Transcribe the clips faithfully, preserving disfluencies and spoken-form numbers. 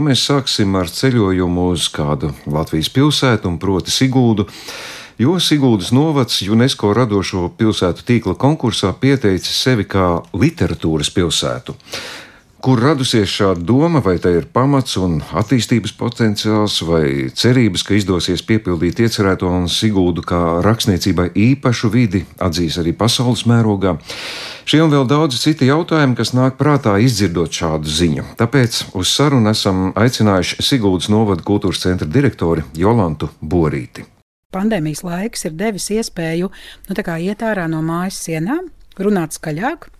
Mēs sāksim ar ceļojumu uz kādu Latvijas pilsētu, un proti Siguldu, jo Siguldas novads UNESCO radošo pilsētu tīkla konkursā pieteicis sevi kā literatūras pilsētu. Kur radusies šāda doma, vai tai ir pamats un attīstības potenciāls, vai cerības, ka izdosies piepildīt iecerēto un Siguldu kā rakstniecībai īpašu vidi atzīs arī pasaules mērogā? Šie un vēl daudzi citi jautājumi, kas nāk prātā izdzirdot šādu ziņu. Tāpēc uz sarunu esam aicinājuši Siguldas novada kultūras centra direktori Jolantu Borīti. Pandēmijas laiks ir devis iespēju nu, tā kā iet ārā no mājas sienām, runāt skaļāk,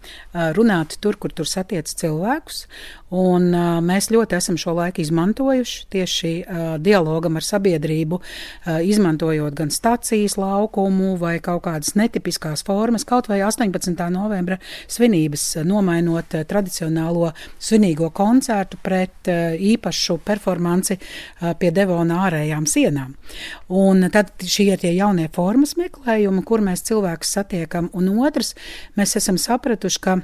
runāt tur, kur tur satiec cilvēkus. Un, uh, mēs ļoti esam šo laiku izmantojuši tieši uh, dialogam ar sabiedrību, uh, izmantojot gan stacijas laukumu vai kaut kādas netipiskās formas, kaut vai astoņpadsmitā novembra svinības, nomainot uh, tradicionālo svinīgo koncertu pret uh, īpašu performanci uh, pie Devona ārējām sienām. Un tad šie ir tie jaunie formas meklējumi, kur mēs cilvēkus satiekam. Un otrs, mēs esam sapratuši, ka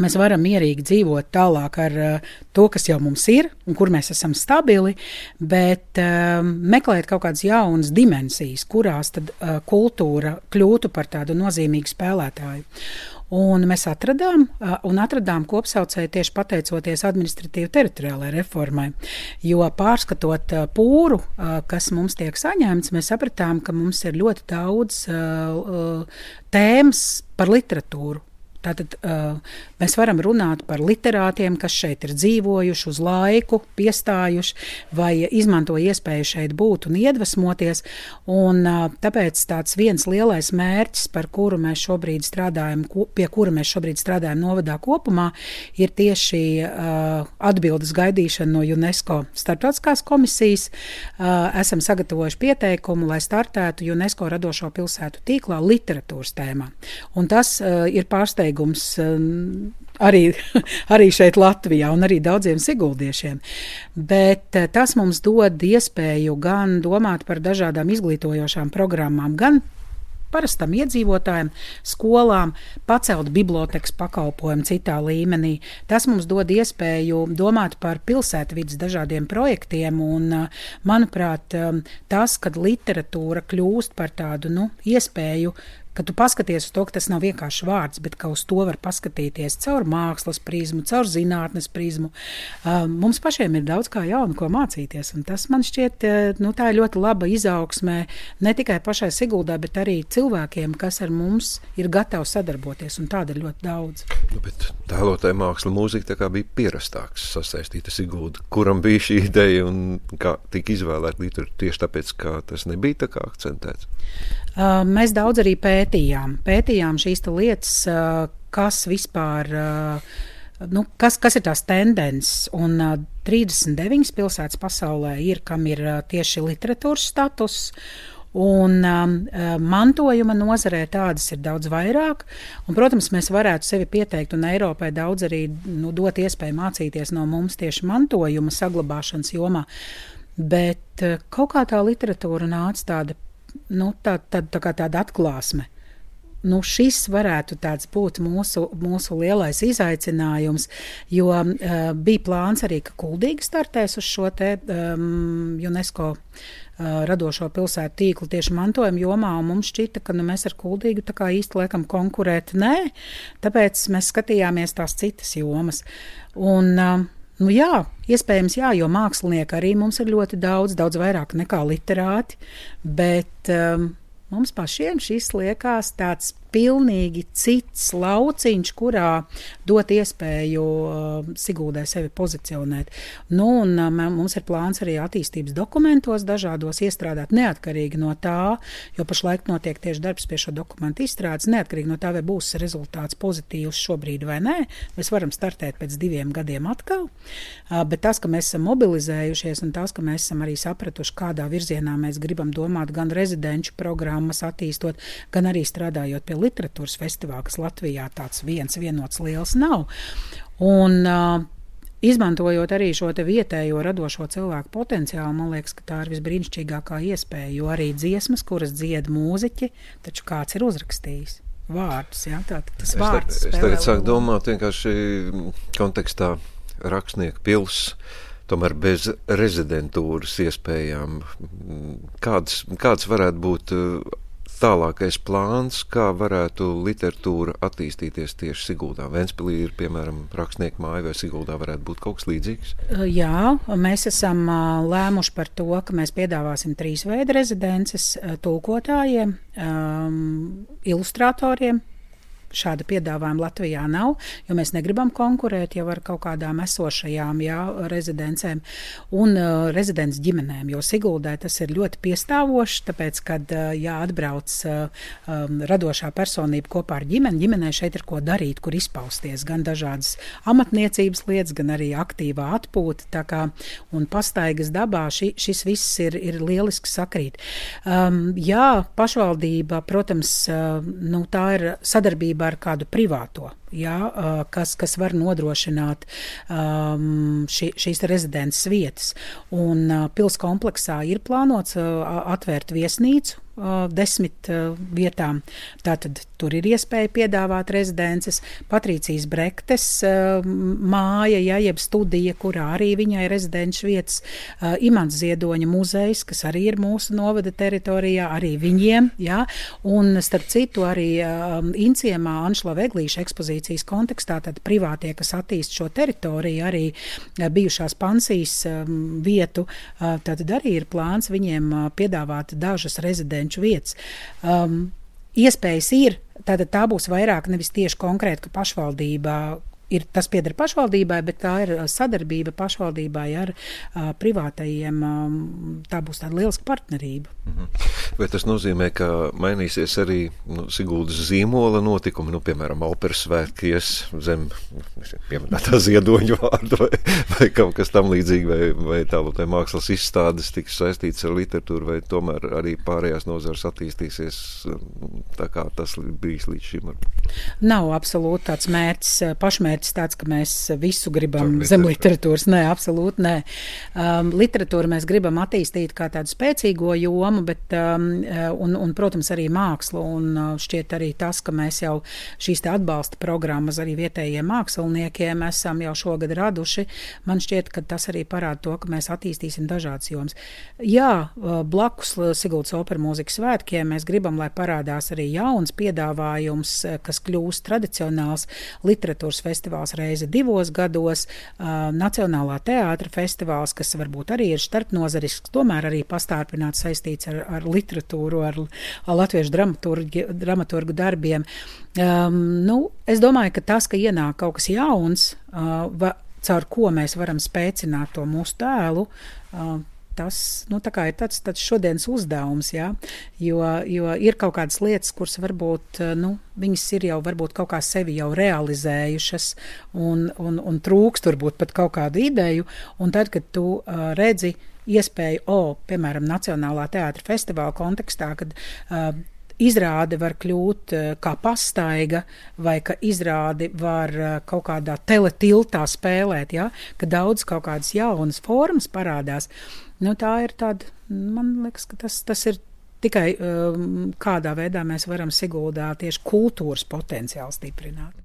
mēs varam mierīgi dzīvot tālāk ar uh, to, kas jau mums ir un kur mēs esam stabili, bet uh, meklēt kaut kādas jaunas dimensijas, kurās tad uh, kultūra kļūtu par tādu nozīmīgu spēlētāju. Un mēs atradām, uh, un atradām kopsaucēju tieši pateicoties administratīvi teritoriālajai reformai, jo pārskatot uh, pūru, uh, kas mums tiek saņemts, mēs sapratām, ka mums ir ļoti daudz uh, uh, tēmas par literatūru. Tātad uh, mēs varam runāt par literātiem, kas šeit ir dzīvojuši, uz laiku piestājuši vai izmanto iespēju šeit būt un iedvesmoties. Un, uh, tāpēc tāds viens lielais mērķis, par kuru mēs šobrīd strādājam, pie kura mēs šobrīd strādājam novadā kopumā, ir tieši uh, atbildes gaidīšana no UNESCO starptautiskās komisijas. Uh, esam sagatavojuši pieteikumu, lai startētu UNESCO radošo pilsētu tīklā literatūras tēmā. Un tas uh, ir pārsteigums Arī, arī šeit Latvijā un arī daudziem siguldiešiem. Bet tas mums dod iespēju gan domāt par dažādām izglītojošām programmām, gan parastam iedzīvotājiem, skolām, pacelt bibliotekas pakalpojumu citā līmenī. Tas mums dod iespēju domāt par pilsētvides dažādiem projektiem un, manuprāt, tas, kad literatūra kļūst par tādu, nu, iespēju, ka tu paskaties uz to, ka tas nav vienkārši vārds, bet ka uz to var paskatīties caur mākslas prizmu, caur zinātnes prizmu. Uh, mums pašiem ir daudz kā jaunu, ko mācīties, un tas man šķiet, nu, tā ir ļoti laba izaugsmē ne tikai pašai Siguldā, bet arī cilvēkiem, kas ar mums ir gatavi sadarboties, un tāda ir ļoti daudz. Nu, bet tēlotāja māksla mūzika tā kā bija pierastāks sasaistīta Sigulda. Kuram bija šī ideja un kā tika izvēlēta literatūra tieši tāpēc, ka tas nebija tā kā akcentēts? Uh, mēs daudz arī pētījām. Pētījām šīs lietas, uh, kas vispār, uh, nu, kas, kas ir tās tendences. Un uh, trīsdesmit deviņas pilsētas pasaulē ir, kam ir uh, tieši literatūras status. Un um, mantojuma nozarē tādas ir daudz vairāk. Un, protams, mēs varētu sevi pieteikt un Eiropai daudz arī nu, dot iespēju mācīties no mums tieši mantojuma saglabāšanas jomā. Bet uh, kaut kā tā literatūra nāca tāda, nu, tā, tā, tā kā tāda atklāsme. Nu, šis varētu tāds būt mūsu, mūsu lielais izaicinājums, jo uh, bija plāns arī, ka Kuldīga startēs uz šo te um, UNESCO uh, radošo pilsētu tīklu tieši mantojuma jomā, un mums šķita, ka nu, mēs ar Kuldīgu tā kā īsti laikam konkurēt nē, tāpēc mēs skatījāmies tās citas jomas. Un, uh, Nu jā, iespējams jā, jo mākslinieki arī mums ir ļoti daudz, daudz vairāk nekā literāti, bet um, mums pašiem šis liekas tāds pilnīgi cits lauciņš, kurā dot iespēju uh, Siguldai sevi pozicionēt. Nu, un uh, mums ir plāns arī attīstības dokumentos dažādos iestrādāt neatkarīgi no tā, jo pašlaik notiek tieši darbs pie šo dokumentu izstrādes, neatkarīgi no tā, vai būs rezultāts pozitīvs šobrīd vai nē. Mēs varam startēt pēc diviem gadiem atkal, uh, bet tas, ka mēs esam mobilizējušies un tas, ka mēs esam arī sapratuši, kādā virzienā mēs gribam domāt gan rezidenču programmas attīstot, gan arī strādājot pie literatūras festivāla, kas Latvijā tāds viens vienots liels nav. Un uh, izmantojot arī šo te vietējo radošo cilvēku potenciālu, man liekas, ka tā ir visbrīnišķīgākā iespēja, jo arī dziesmas, kuras dzied mūziķi, taču kāds ir uzrakstījis vārdus, jā, tā, tas vārds spēlē. Es tagad sāku domāt vienkārši kontekstā rakstnieku pils. tomēr bez rezidentūras iespējām. Kāds, kāds varētu būt tālākais plāns, kā varētu literatūra attīstīties tieši Siguldā? Ventspilī ir, piemēram, rakstnieku māja, vai Siguldā varētu būt kaut kas līdzīgs? Jā, mēs esam lēmuši par to, ka mēs piedāvāsim trīs veidu rezidences tulkotājiem, um, ilustratoriem. Šāda piedāvājuma Latvijā nav, jo mēs negribam konkurēt jau ar kaut kādām esošajām jā, rezidencēm un uh, rezidents ģimenēm, jo Siguldai tas ir ļoti piestāvoši, tāpēc, kad uh, jāatbrauc uh, um, radošā personība kopā ar ģimeni, ģimenē šeit ir ko darīt, kur izpausties, gan dažādas amatniecības lietas, gan arī aktīvā atpūta, tā kā un pastaigas dabā ši, šis viss ir, ir lieliski sakrīt. Um, jā, pašvaldība, protams, uh, nu, tā ir sadarbība ar kādu privāto, jā, kas, kas var nodrošināt um, ši, šīs rezidences vietas. Un uh, pils kompleksā ir plānots uh, atvērt viesnīcu uh, desmit uh, vietām. Tātad tur ir iespēja piedāvāt rezidences. Patrīcijas Brektes uh, māja, jā, jeb studija, kurā arī viņai rezidenču vietas. Uh, Imants Ziedoņa muzejs, kas arī ir mūsu novada teritorijā, arī viņiem, jā. Un starp citu arī uh, Inciemā Anšlava Eglīša ekspozīcijas kontekstā, tad privātie, kas attīst šo teritoriju, arī uh, bijušās pansijas um, vietu, uh, tad arī ir plāns viņiem uh, piedāvāt dažas rezidenču vietas. Um, iespējas ir, tātad tā būs vairāk nevis tieši konkrēti, ka pašvaldībā ir, tas pieder pašvaldībai, bet tā ir sadarbība pašvaldībai ar uh, privātajiem, um, tā būs tāda lieliska partnerība. Mhm. Vai tas nozīmē, ka mainīsies arī nu, Siguldas zīmola notikumi, nu, piemēram, operas svētki ies zem pieminētā Ziedoņa vārdu vai, vai kaut kas tam līdzīgi, vai, vai tālāk mākslas izstādes tiks saistīts ar literatūru, vai tomēr arī pārējās nozares attīstīsies tā kā tas bijis līdz šim? Nav absolūti tāds mērķis, pašmērķis tāds, ka mēs visu gribam Tur, zem literatūras. Nē, absolūti nē. Um, literatūru mēs gribam attīstīt kā tādu spēcīgo jomu, bet um, un, un, protams, arī mākslu, un šķiet arī tas, ka mēs jau šīs te atbalsta programmas arī vietējiem māksliniekiem esam jau šogad raduši. Man šķiet, ka tas arī parāda to, ka mēs attīstīsim dažādas jomas. Jā, blakus Siguldas opera mūzikas svētkiem mēs gribam, lai parādās arī jauns piedāvājums, kas kļūst tradicionāls literatūras festivāls reizi divos gados, Nacionālā teātra festivāls, kas varbūt arī ir starpnozarisks, tomēr arī pastarpināts saistīts ar, ar literatūru, ar, ar latviešu dramaturgi, dramaturgu darbiem. Um, nu, es domāju, ka tas, ka ienāk kaut kas jauns, uh, va, caur ko mēs varam spēcināt to mūsu tēlu, uh, tas, nu, tā kā ir tāds, tāds šodienas uzdevums, jā, jo, jo ir kaut kādas lietas, kuras varbūt, nu, viņas ir jau varbūt kaut kā sevi jau realizējušas un, un, un trūkst varbūt pat kaut kādu ideju, un tad, kad tu uh, redzi iespēju, o, piemēram, Nacionālā teātra festivāla kontekstā, kad uh, izrāde var kļūt uh, kā pastaiga, vai ka izrādi var uh, kaut kādā teletiltā spēlēt, ja? Ka daudz kaut kādas jaunas formas parādās. Nu, tā ir tāda, man liekas, ka tas, tas ir tikai um, kādā veidā mēs varam Siguldā tieši kultūras potenciālu stiprināt.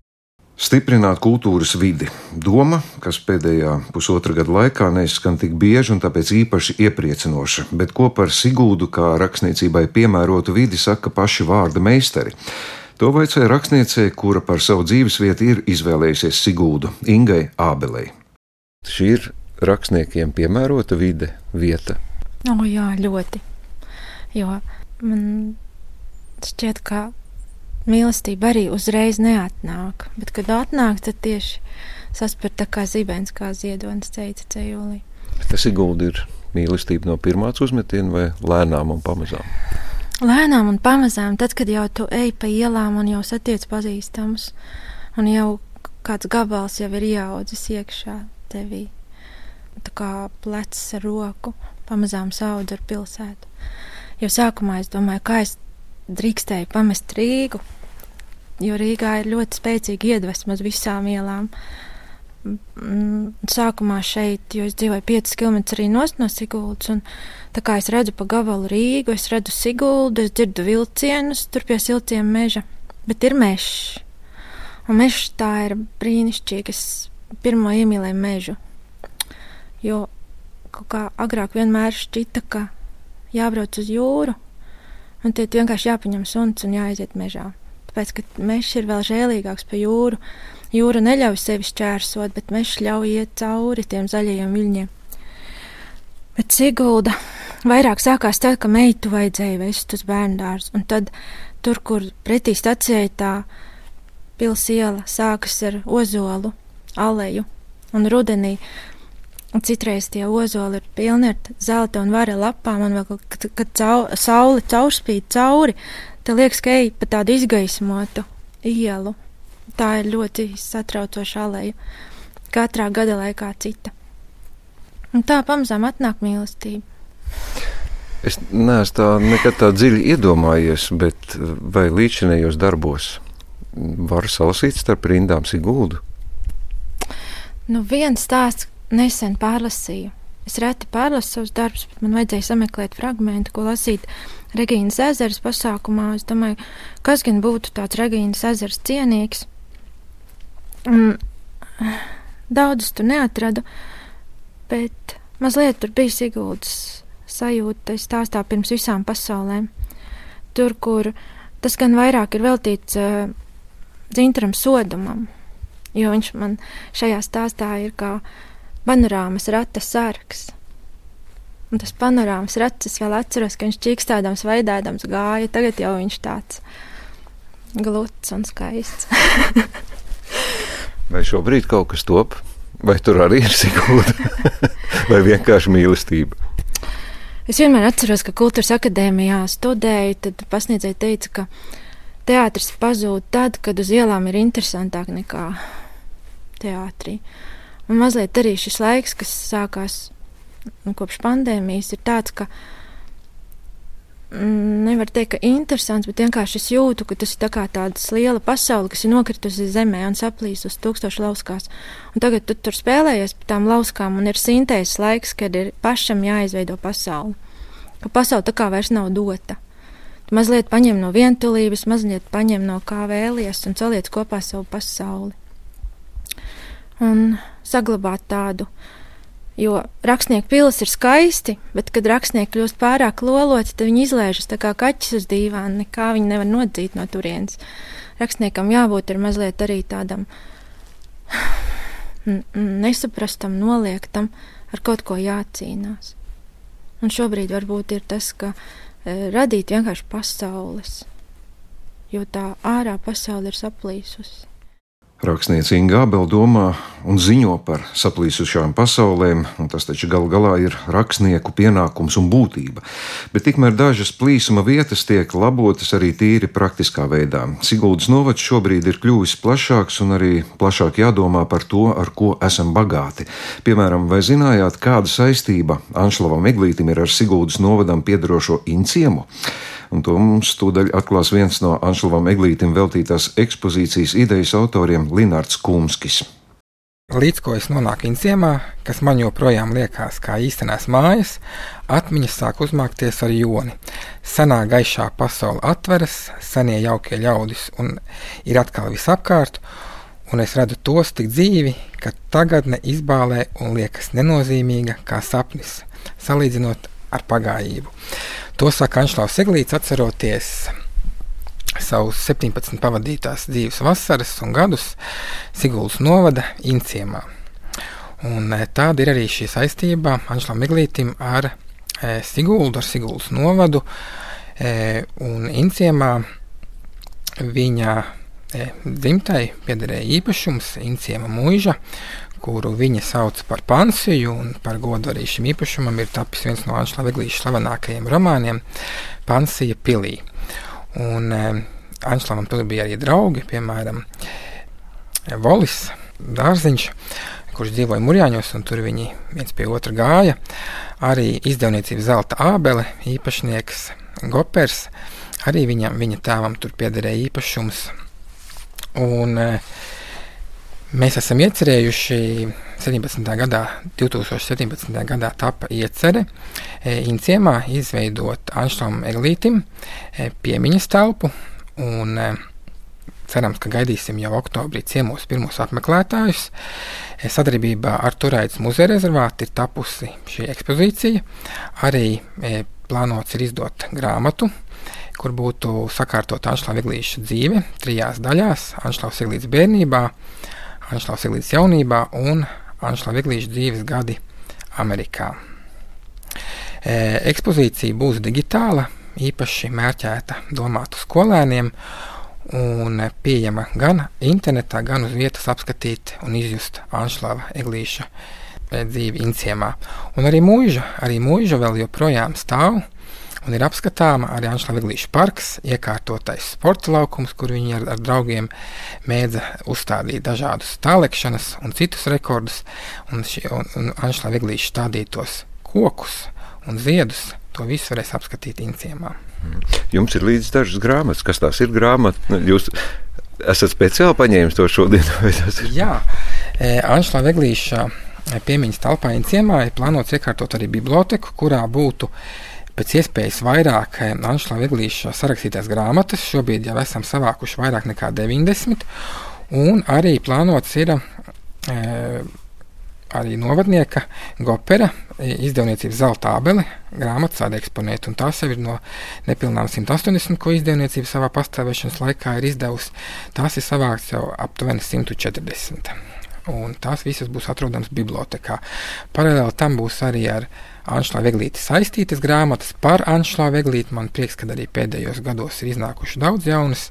Stiprināt kultūras vidi. Doma, kas pēdējā pusotra gada laikā neizskan tik bieži un tāpēc īpaši iepriecinoša, bet ko par Siguldu kā rakstniecībai piemērotu vidi saka paši vārda meistari. To vaicāja rakstniecei, kura par savu dzīvesvietu ir izvēlējusies Siguldu, Ingai Ābelei. Šī ir rakstniekiem piemērota vide, vieta? O, jā, ļoti. Jo man šķiet, ka mīlestība arī uzreiz neatnāk, bet, kad atnāk, tad tieši saspēr tā kā zibens, kā Ziedonis teica dzejolī. Tas Sigulda ir mīlestība no pirmās uzmetiena vai lēnām un pamazām? Lēnām un pamazām, tad, kad jau tu ej pa ielām un jau satiec pazīstamus, un jau kāds gabals jau ir ieaudzis iekšā tevī. Tā kā plecs ar roku, pamazām saudz ar pilsētu. Jau sākumā es domāju, kā es drīkstēju pamest Rīgu, jo Rīgā ir ļoti spēcīga iedvesma uz visām ielām. Sākumā šeit, jo es dzīvoju piecus kilometrus arī nost no Siguldas, un tā kā es redzu pa gabalu Rīgu, es redzu Siguldu, es dzirdu vilcienus, tur pie siltiem meža, bet ir mežs. Un mežs tā ir brīnišķīgi, es pirmo iemīlēju mežu, jo kaut kā agrāk vienmēr šķita, ka jābrauc uz jūru, un tad vienkārši jāpaņem suns un jāaiziet mežā. Tāpēc, ka mežs ir vēl žēlīgāks pa jūru. Jūra neļauj sevi šķērsot, bet mežs ļauj iet cauri tiem zaļajiem viļņiem. Bet Sigulda vairāk sākās tā, ka meitu vajadzēja vest uz bērndārzu, un tad tur, kur pretī stacijai tā pils iela sākas ar ozolu, aleju, un rudenī, un citreiz tie ozoli ir pilni ar zelta un vara lapām, un vēl, kad, kad cau, saule caurspīd cauri, tad liekas, ka ej pa tādu izgaismotu ielu. Tā ir ļoti satraucoša aleja. Katrā gada laikā cita. Un tā pamazām atnāk mīlestība. Es neesmu tā nekad tā dziļi iedomājies, bet vai līdzinējos darbos varu salasīt starp rindām Siguldu? Nu, viens stāsts nesen pārlasīju. Es reti pārlasu savus darbus, bet man vajadzēja sameklēt fragmentu, ko lasīt Regīnas ezeras pasākumā. Es domāju, kas gan būtu tāds Regīnas ezers cienīgs. Un daudzus tur neatradu, bet mazliet tur bija Siguldas sajūta stāstā pirms visām pasaulēm. Tur, kur tas gan vairāk ir veltīts uh, Dzintaram Sodumam, jo viņš man šajā stāstā ir kā panorāmas rata sargs. Un tas panorāmas rats, es vēl atceros, ka viņš čīkstādams, vaidādams gāja, tagad jau viņš tāds gluts un skaists. Vai šobrīd kaut kas top? Vai tur arī ir Sigulda? Vai vienkārši mīlestība? Es vienmēr atceros, ka Kultūras akadēmijā studēju, tad pasniedzēja teica, ka teātris pazūd tad, kad uz ielām ir interesantāk nekā teātrī. Un mazliet arī šis laiks, kas sākās nu, kopš pandēmijas, ir tāds, ka mm, nevar teikt, ka interesants, bet vienkārši es jūtu, ka tas ir tā kā tādas liela pasaule, kas ir nokritusi zemē un saplīs uz tūkstošu lauskās. Un tagad tu tur spēlējies pa tām lauskām un ir sintēzes laiks, kad ir pašam jāizveido pasauli. Ka pasaule tā kā vairs nav dota. Tu mazliet paņem no vientulības, mazliet paņem no kā vēlies un saliec kopā savu pasauli. Un saglabāt tādu, jo rakstnieku pilis ir skaisti, bet, kad rakstnieki kļūst pārāk loloti, tad viņi izlēžas tā kā kaķis uz dīvāna, nekā viņi nevar nodzīt no turienes. Rakstniekam jābūt ir mazliet arī tādam nesaprastam, noliektam, ar kaut ko jācīnās. Un šobrīd varbūt ir tas, ka e, radīt vienkārši pasaules, jo tā ārā pasaule ir saplīsusi. Rakstniece Inga Ābele domā un ziņo par saplīsušām pasaulēm, un tas taču gal galā ir rakstnieku pienākums un būtība. Bet tikmēr dažas plīsuma vietas tiek labotas arī tīri praktiskā veidā. Siguldas novads šobrīd ir kļuvis plašāks un arī plašāk jādomā par to, ar ko esam bagāti. Piemēram, vai zinājāt, kāda saistība Anšlavam Eglītim ir ar Siguldas novadam piederošo Inciemu? Un to mums tūdaļ atklās viens no Anšlavam Eglītim veltītās ekspozīcijas idejas autoriem Linards Kumskis. Līdz ko es nonāku Inciemā, kas man joprojām liekas kā īstenās mājas, atmiņas sāk uzmākties ar joni. Senā gaišā pasaule atveras, senie jaukie ļaudis un ir atkal visapkārt, un es redzu tos tik dzīvi, ka tagadne izbālē un liekas nenozīmīga kā sapnis, salīdzinot ar pagājību. To saka Anšlavs Eglīts, atceroties savus septiņpadsmit pavadītās dzīves vasaras un gadus Siguldas novada Inciemā. Un tāda ir arī šī saistība Anšlavam Eglītim ar e, Siguldu, ar Siguldas novadu, e, un Inciemā viņa e, dzimtai piederēja īpašums Inciema muiža, kuru viņa sauc par pansiju, un par godu arī šim īpašumam ir tapis viens no Anšlava Eglīša slavenākajiem romāniem Pansija pilī. Un e, Anšlavam tur bija arī draugi, piemēram, Volis Dārziņš, kurš dzīvoja Murjāņos, un tur viņi viens pie otra gāja. Arī izdevniecības Zelta Ābele, īpašnieks Gopers, arī viņam, viņa tēvam tur piederēja īpašums. Un e, mēs esam iecerējuši septiņpadsmitajā gadā, divtūkstoš septiņpadsmitajā gadā tapa iecere e, Inciemā izveidot Anšlavam Eglītim e, piemiņas telpu, un e, cerams, ka gaidīsim jau oktobrī ciemos pirmos apmeklētājus. Sadarbībā ar Turaidas muzeja rezervātu ir tapusi šī ekspozīcija. Arī e, plānots ir izdot grāmatu, kur būtu sakārtota Anšlava Eglīša dzīve trijās daļās – Anšlavs Eglīts bērnībā, Anšlavs Eglīts jaunībā un Anšlava Eglīša dzīves gadi Amerikā. E, ekspozīcija būs digitāla, īpaši mērķēta domātu skolēniem un pieejama gan internetā, gan uz vietas apskatīt un izjust Anšlava Eglīša dzīvi Inciemā. Un arī mūža, arī mūža vēl joprojām stāv un ir apskatāma arī Anšlava Eglīša parks, iekārtotais sporta laukums, kur viņi ar, ar draugiem mēdza uzstādīt dažādus tālekšanas un citus rekordus, un, ši, un, un Anšlava Eglīša stādītos kokus un ziedus. To visu varēs apskatīt Inciemā. Jums ir līdz dažas grāmatas. Kas tās ir grāmatas? Jūs esat speciāli paņēmis to šodien? Jā, Anšlava Eglīša piemiņas telpā Inciemā ir plānots iekārtot arī biblioteku, kurā būtu pēc iespējas vairāk Anšlava Eglīša sarakstītās grāmatas. Šobrīd jau esam savākuši vairāk nekā deviņdesmit. Un arī plānots ir e, arī novadnieka Gopera izdevniecības Zelta ābele grāmatas tāda eksponēta, un tās jau ir no nepilnām simt astoņdesmit, ko izdevniecība savā pastāvēšanas laikā ir izdevusi. Tās ir savākts jau aptuveni simt četrdesmit, un tās visas būs atrodamas bibliotekā. Paralēli tam būs arī ar Anšlava Eglīti saistītas grāmatas par Anšlava Eglīti. Man prieks, ka arī pēdējos gados ir iznākuši daudz jaunas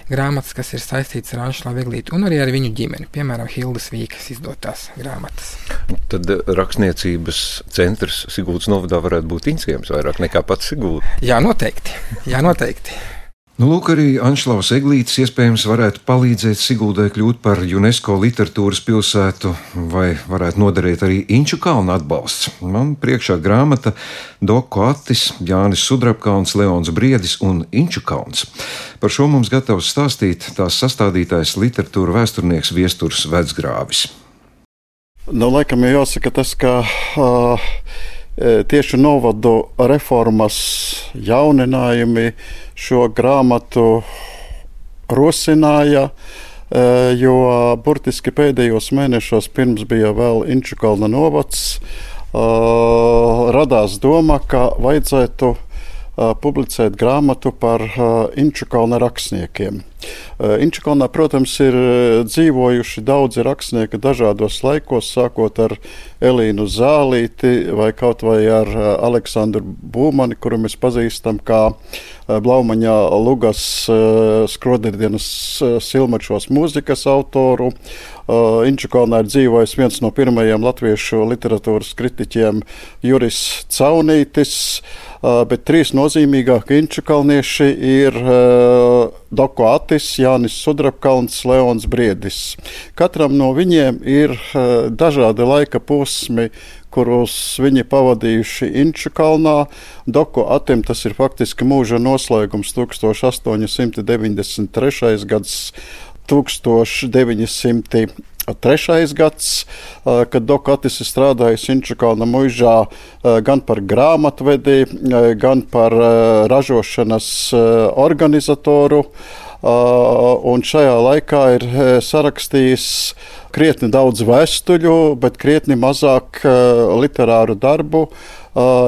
grāmatas, kas ir saistītas ar Anšlava Eglīti, un arī ar viņu ģimeni, piemēram, Hildas Vīkas izdotās grāmatas. Tad rakstniecības centrs Siguldas novadā varētu būt Inciems vairāk nekā pats Sigulda. Jā, noteikti. Jā, noteikti. Nu, lūk, arī Anšlavs Eglītis iespējams varētu palīdzēt Siguldai kļūt par UNESCO literatūras pilsētu, vai varētu noderēt arī Inču kalna atbalsts. Man priekšā grāmata Doku Attis, Jānis Sudrabkalns, Leons Briedis un Inču kalns. Par šo mums gatavs stāstīt tās sastādītājs literatūra vēsturnieks Viesturs Vecgrāvis. Nu, laikam jau jāsaka tas, ka uh, tieši novadu reformas jauninājumi šo grāmatu rosināja, jo burtiski pēdējos mēnešos pirms bija vēl Inču kalna novads, radās doma, ka vajadzētu publicēt grāmatu par Inču kalna rakstniekiem. Inču kalnā, protams, ir dzīvojuši daudzi rakstnieki dažādos laikos, sākot ar Elīnu Zālīti vai kaut vai ar Aleksandru Būmani, kuru mēs pazīstam kā Blaumaņā Lugas Skroderdienas Silmačos mūzikas autoru. Inču kalnā ir dzīvojis viens no pirmajiem latviešu literatūras kritiķiem Juris Caunītis, bet trīs nozīmīgākie inču kalnieši ir Doku Attis, Jānis Sudrabkalns, Leons Briedis. Katram no viņiem ir dažādi laika posmi, kurus viņi pavadījuši Inču kalnā. Doku Attim tas ir faktiski mūža noslēgums tūkstoš astoņi simti deviņdesmit trešais gads, tūkstoš deviņi simti trešais gads, kad Doku Attis ir strādājis Inču kalna muižā gan par grāmatvedi, gan par ražošanas organizatoru. Un šajā laikā ir sarakstījis krietni daudz vēstuļu, bet krietni mazāk literāru darbu,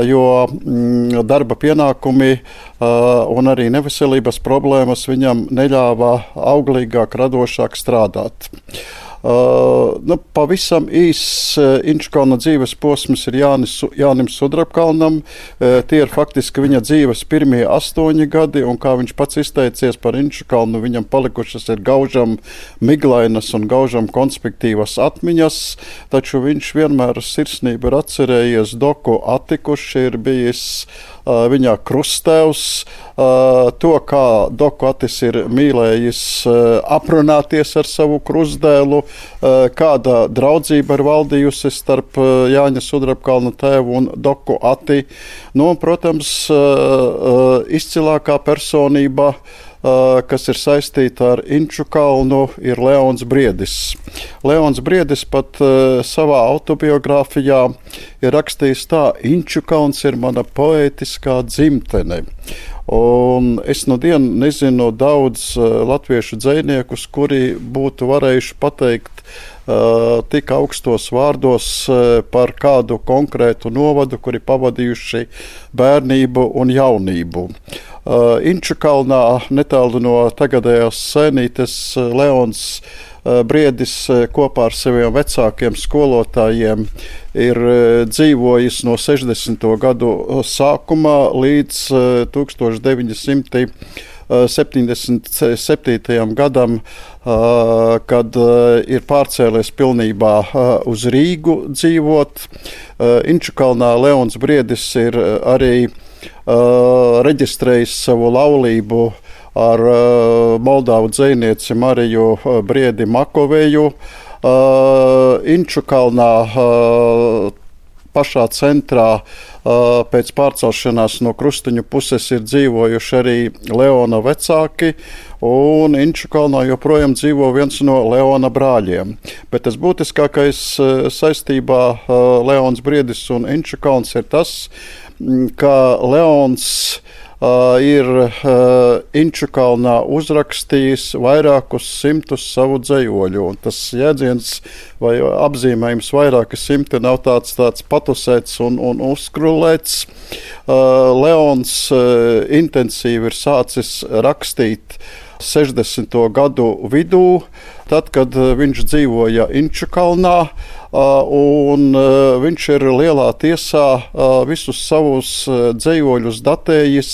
jo darba pienākumi un arī neveselības problēmas viņam neļāva auglīgāk, radošāk strādāt. Uh, nu, pavisam īs uh, Inču kalna dzīves posms ir Jānis, Jānim Sudrabkalnam. Uh, tie ir faktiski viņa dzīves pirmie astoņi gadi, un kā viņš pats izteicies par Inču kalnu, viņam palikušas ir gaužam miglainas un gaužam konspektīvas atmiņas, taču viņš vienmēr sirsnību ir atcerējies Doku Atti, kurš ir bijis uh, viņa krustēvs, uh, to, kā Doku Attis ir mīlējis uh, aprunāties ar savu krustdēlu, kāda draudzība ir valdījusi starp Jāņa Sudrabkalna tēvu un Doku Atti. Nu, un, protams, izcilākā personība kas ir saistīta ar Inču kalnu, ir Leons Briedis. Leons Briedis pat savā autobiogrāfijā ir rakstījis tā: Inču kalns ir mana poētiskā dzimtene. Un es no dienu nezinu daudz latviešu dzejniekus, kuri būtu varējuši pateikt uh, tik augstos vārdos uh, par kādu konkrētu novadu, kuri pavadījuši bērnību un jaunību. Uh, Inču kalnā, netālu no tagadējās Sēnītes, Leons Briedis kopā ar saviem vecākiem skolotājiem ir dzīvojis no sešdesmito gadu sākumā līdz tūkstoš deviņi simti septiņdesmit septītajam gadam, kad ir pārcēlies pilnībā uz Rīgu dzīvot. Inču kalnā Leons Briedis ir arī reģistrējis savu laulību ar uh, Moldāvu dzejnieci Mariju uh, Briedi Makoveju. Uh, Inču kalnā uh, pašā centrā uh, pēc pārcelšanās no Krustiņu puses ir dzīvojuši arī Leona vecāki, un Inču kalnā joprojām dzīvo viens no Leona brāļiem. Bet tas būtiskākais uh, saistībā uh, Leons Briedis un Inču kalns ir tas, ka Leons Uh, ir uh, Inču kalnā uzrakstījis vairākus simtus savu dzejoļu. Un tas jēdziens vai apzīmējums vairāki simti nav tāds, tāds patusēts un, un uzskrulēts. Uh, Leons uh, intensīvi ir sācis rakstīt sešdesmito gadu vidū, tad, kad viņš dzīvoja Inču kalnā, un viņš ir lielā tiesā visus savus dzejoļus datējis,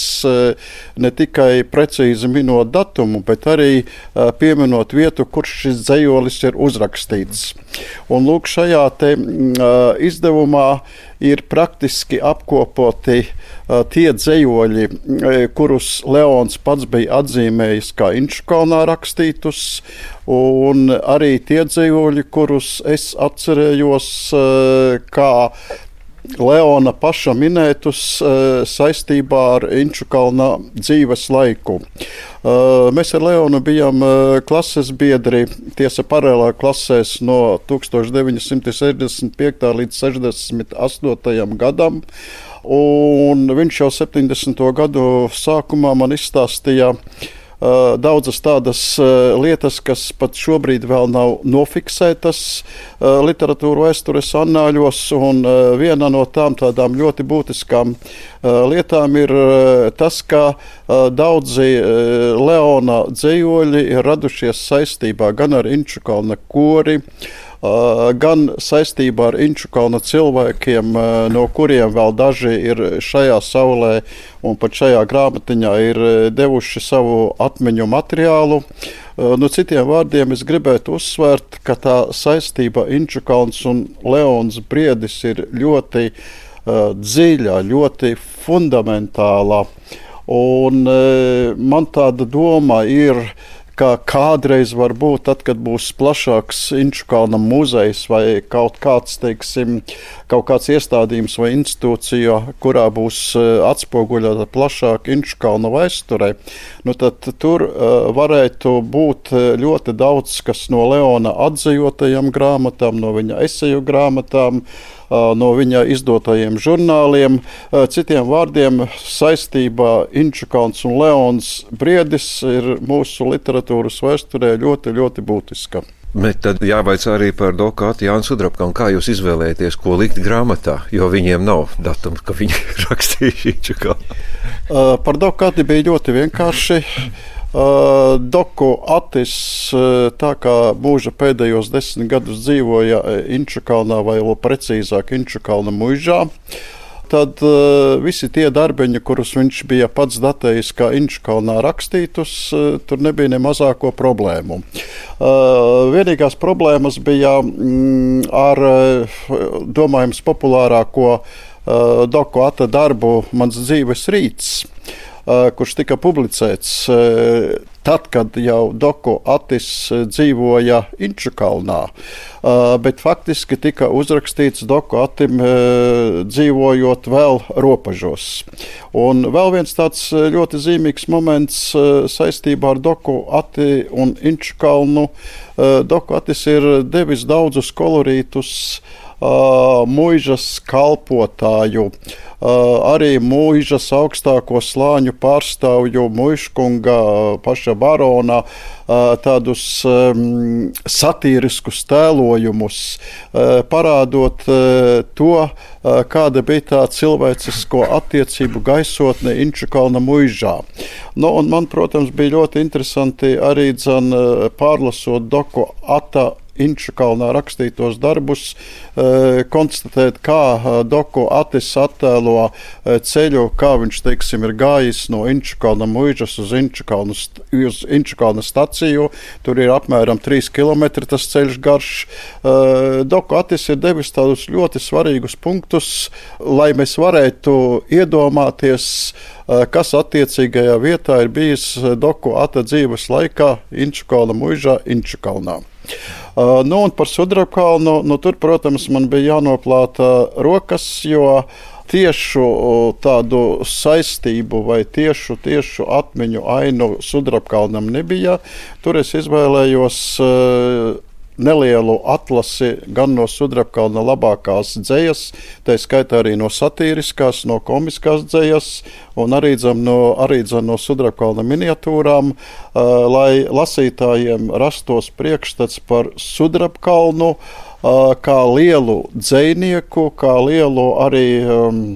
ne tikai precīzi minot datumu, bet arī pieminot vietu, kur šis dzejolis ir uzrakstīts. Un lūk, šajā te izdevumā ir praktiski apkopoti uh, tie dzejoļi, kurus Leons pats bija atzīmējis kā Inču kalnā rakstītus, un arī tie dzejoļi, kurus es atcerējos uh, kā Leona paša minētus uh, saistībā ar Inču kalna dzīves laiku. Uh, mēs ar Leonu bijām uh, klases biedri, tiesa paralēlā klasēs no tūkstoš deviņi simti sešdesmit piektajā līdz sešdesmit astotajam gadam, un viņš jau septiņdesmito gadu sākumā man izstāstīja Uh, daudzas tādas uh, lietas, kas pat šobrīd vēl nav nofiksētas uh, literatūra vēstures annāļos, un uh, viena no tām tādām ļoti būtiskām uh, lietām ir uh, tas, ka uh, daudzi uh, Leona dzejoļi ir radušies saistībā gan ar Inču kalna kori, Uh, gan saistībā ar Inču kalna cilvēkiem, uh, no kuriem vēl daži ir šajā saulē un pat šajā grāmatiņā ir devuši savu atmiņu materiālu. Uh, no citiem vārdiem es gribētu uzsvērt, ka tā saistība Inču kalns un Leons Briedis ir ļoti uh, dziļa, ļoti fundamentāla. Un uh, man tāda doma ir, ka kādreiz varbūt tad, kad būs plašāks Inču kalna muzejs vai kaut kāds, teiksim, kaut kāds iestādījums vai institūcija, kurā būs atspoguļota plašāk Inču kalna vēsturē, nu tad tur uh, varētu būt ļoti daudz, kas no Leona atzījotajām grāmatām, no viņa eseju grāmatām, no viņa izdotajiem žurnāliem. Citiem vārdiem, saistībā Inču kalns un Leons Briedis ir mūsu literatūras vēsturē ļoti, ļoti būtiska. Bet tad jāvaicā arī par dokātu Jānu Sudrabkanu. Kā jūs izvēlēties, ko likt grāmatā, jo viņiem nav datums, ka viņi rakstīja Inču kalnu? Uh, par dokāti bija ļoti vienkārši. Uh, Doku Atis, uh, tā kā mūža pēdējos desmit gadus dzīvoja Inču kalnā, vai vēl precīzāk Inču kalna muižā, tad uh, visi tie darbiņi, kurus viņš bija pats datējis kā Inču kalnā rakstītus, uh, tur nebija ne mazāko problēmu. Uh, vienīgās problēmas bija mm, ar, uh, domājams, populārāko uh, Doku Ata darbu Mans dzīves rīts, kurš tika publicēts. tad, kad jau Doku Atis dzīvoja Inčukalnā, bet faktiski tika uzrakstīts Doku Atim dzīvojot vēl Ropažos. Un vēl viens tāds ļoti zīmīgs moments saistībā ar Doku Ati un Inčukalnu. Doku Atis ir devis daudzus kolorītus muižas kalpotāju, arī muižas augstāko slāņu pārstāvju muižkunga paša barona tādus satīriskus tēlojumus, parādot to, kāda bija tā cilvēcisko attiecību gaisotne Inčukalna muižā. Nu, un man, protams, bija ļoti interesanti arī dzan pārlasot Doku Ata Inčukalnā rakstītos darbus, konstatēt, kā Doku Atis attēlo ceļu, kā viņš, teiksim, ir gājis no Inčukalna muižas uz Inčukalnu, uz Inčukalna staciju. Tur ir apmēram trīs kilometri tas ceļš garš. Doku Atis ir devis tādus ļoti svarīgus punktus, lai mēs varētu iedomāties, kas attiecīgajā vietā ir bijis Doku Ata dzīves laikā Inčukalna muižā Inčukalnā. Uh, nu, un par Sudrabkalnu, nu, tur, protams, man bija jānoplāta rokas, jo tiešu tādu saistību vai tiešu, tiešu atmiņu ainu Sudrabkalnam nebija. Tur es izvēlējos uh, nelielu atlasi gan no Sudrabkalna labākās dzejas, tā skaitā arī no satīriskās, no komiskās dzejas, un arī dzem no, arī dzem no Sudrabkalna miniatūrām, uh, lai lasītājiem rastos priekšstats par Sudrabkalnu uh, kā lielu dzejnieku, kā lielu arī um,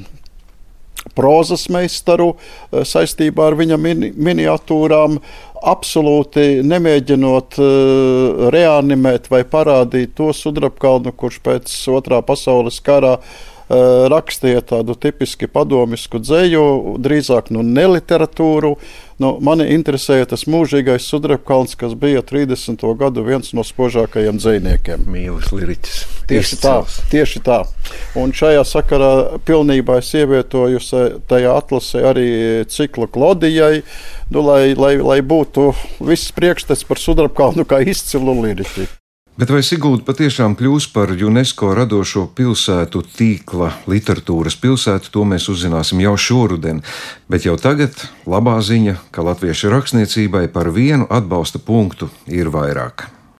prozas meistaru uh, saistībā ar viņa mini, miniatūrām, absolūti nemēģinot uh, reanimēt vai parādīt to Sudrabkalnu, kurš pēc otrā pasaules karā uh, rakstīja tādu tipiski padomisku dzeju, drīzāk nu neliteratūru. Nu, mani interesēja tas mūžīgais Sudrabkalns, kas bija trīsdesmito gadu viens no spožākajiem dzejniekiem. Mīlis liriķis. Tieši tā, tieši tā. Un šajā sakarā pilnībā es ievietoju tajā atlasē arī ciklu Klodijai, nu, lai, lai, lai būtu viss priekšstats par Sudrabkalnu kā izcilu liriķi. Bet vai Sigulda patiešām kļūs par UNESCO radošo pilsētu tīkla literatūras pilsētu, to mēs uzzināsim jau šoruden. Bet jau tagad labā ziņa, ka latviešu rakstniecībai par vienu atbalsta punktu ir vairāk.